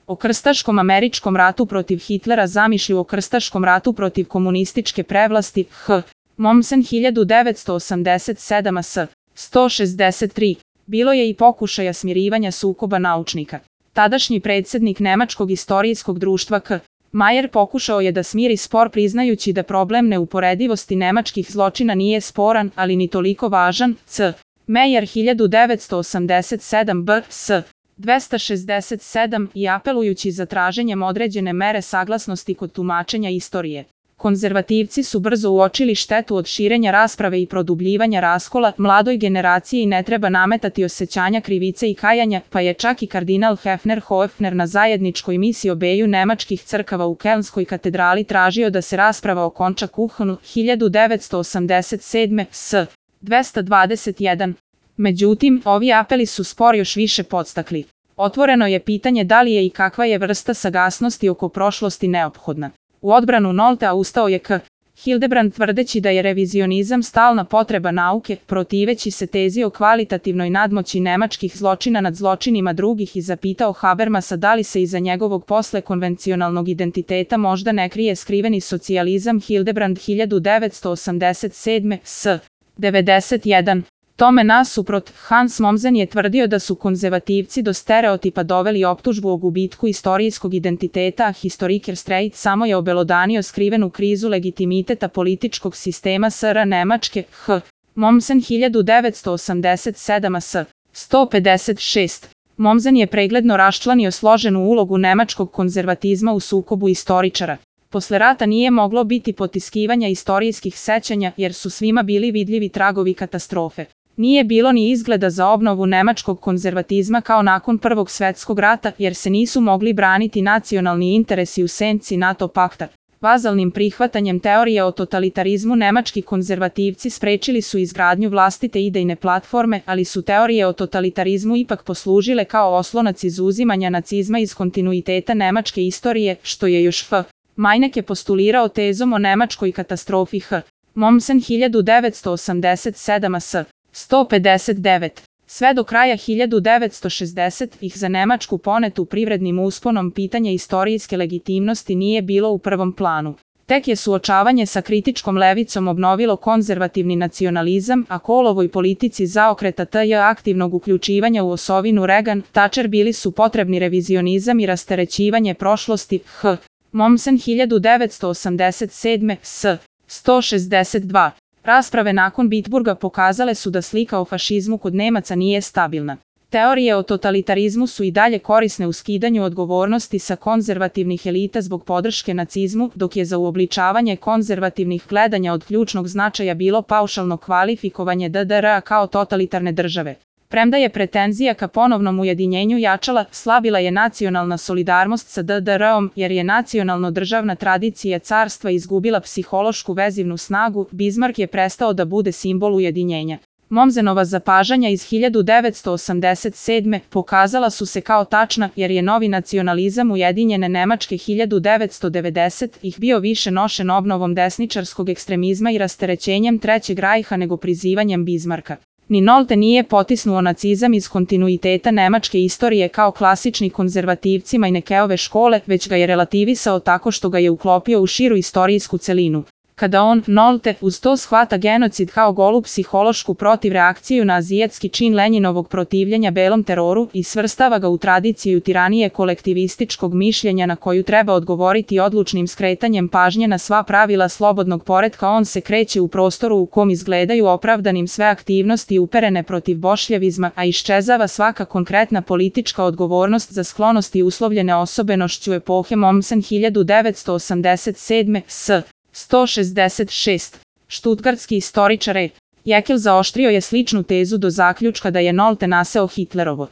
O krstaškom američkom ratu protiv Hitlera, zamišlju o krstaškom ratu protiv komunističke prevlasti, H. Mommsen 1987 s. 163. Bilo je i pokušaja smirivanja sukoba naučnika. Tadašnji predsjednik Nemačkog istorijskog društva K. Mayer pokušao je da smiri spor priznajući da problem neuporedivosti nemačkih zločina nije sporan, ali ni toliko važan. C. Mayer 1987 b. s. 267 i apelujući za traženjem određene mere saglasnosti kod tumačenja istorije. Konzervativci su brzo uočili štetu od širenja rasprave i produbljivanja raskola, mladoj generaciji ne treba nametati osjećanja krivice i kajanja, pa je čak i kardinal Hefner na zajedničkoj misiji obeju nemačkih crkava u Kelnskoj katedrali tražio da se rasprava okonča Kuhnu 1987 s. 221. Međutim, ovi apeli su spor još više podstakli. Otvoreno je pitanje da li je i kakva je vrsta saglasnosti oko prošlosti neophodna. U odbranu Noltea ustao je K. Hildebrand tvrdeći da je revizionizam stalna potreba nauke, protiveći se tezi o kvalitativnoj nadmoći nemačkih zločina nad zločinima drugih i zapitao Habermasa da li se iza njegovog posle konvencionalnog identiteta možda ne krije skriveni socijalizam. Hildebrand 1987 s. 91. Tome nasuprot, Hans Mommsen je tvrdio da su konzervativci do stereotipa doveli optužbu o gubitku istorijskog identiteta, a Historiker Streit samo je obelodanio skrivenu krizu legitimiteta političkog sistema SR Nemačke. H. Mommsen 1987 s. 156. Mommsen je pregledno raščlanio složenu ulogu nemačkog konzervatizma u sukobu istoričara. Posle rata nije moglo biti potiskivanja istorijskih sećanja jer su svima bili vidljivi tragovi katastrofe. Nije bilo ni izgleda za obnovu nemačkog konzervatizma kao nakon Prvog svjetskog rata jer se nisu mogli braniti nacionalni interesi u senci NATO pakta. Vazalnim prihvatanjem teorije o totalitarizmu nemački konzervativci sprečili su izgradnju vlastite idejne platforme, ali su teorije o totalitarizmu ipak poslužile kao oslonac izuzimanja nacizma iz kontinuiteta nemačke istorije, što je još F. Meinecke postulirao tezom o nemačkoj katastrofi. H. Mommsen 1987 s. 159. Sve do kraja 1960-ih za Nemačku ponetu privrednim usponom pitanje istorijske legitimnosti nije bilo u prvom planu. Tek je suočavanje sa kritičkom levicom obnovilo konzervativni nacionalizam, a Kohlovoj politici zaokreta TJ aktivnog uključivanja u osovinu Reagan-Thatcher bili su potrebni revizionizam i rasterećivanje prošlosti. H. Mommsen 1987 s. 162. Rasprave nakon Bitburga pokazale su da slika o fašizmu kod Nemaca nije stabilna. Teorije o totalitarizmu su i dalje korisne u skidanju odgovornosti sa konzervativnih elita zbog podrške nacizmu, dok je za uobličavanje konzervativnih gledanja od ključnog značaja bilo paušalno kvalifikovanje DDR-a kao totalitarne države. Premda je pretenzija ka ponovnom ujedinjenju jačala, slabila je nacionalna solidarnost sa DDR-om jer je nacionalno-državna tradicija carstva izgubila psihološku vezivnu snagu, Bismarck je prestao da bude simbol ujedinjenja. Mommsenova zapažanja iz 1987. pokazala su se kao tačna jer je novi nacionalizam Ujedinjene Nemačke 1990-ih bio više nošen obnovom desničarskog ekstremizma i rasterećenjem Trećeg rajha nego prizivanjem Bismarcka. Ni Nolte nije potisnuo nacizam iz kontinuiteta nemačke istorije kao klasični konzervativci Meinekeove škole, već ga je relativisao tako što ga je uklopio u širu istorijsku celinu. Kada on, Nolte, uz to shvata genocid kao golu psihološku protivreakciju na azijatski čin Lenjinovog protivljenja belom teroru i svrstava ga u tradiciju tiranije kolektivističkog mišljenja na koju treba odgovoriti odlučnim skretanjem pažnje na sva pravila slobodnog poretka, on se kreće u prostoru u kom izgledaju opravdanim sve aktivnosti uperene protiv bošljevizma, a iščezava svaka konkretna politička odgovornost za sklonosti uslovljene osobenošću epohe. Mommsen 1987 s. 166. Štutgartski istoričar E. Jekyll zaoštrio je sličnu tezu do zaključka da je Nolte naseo Hitlerovo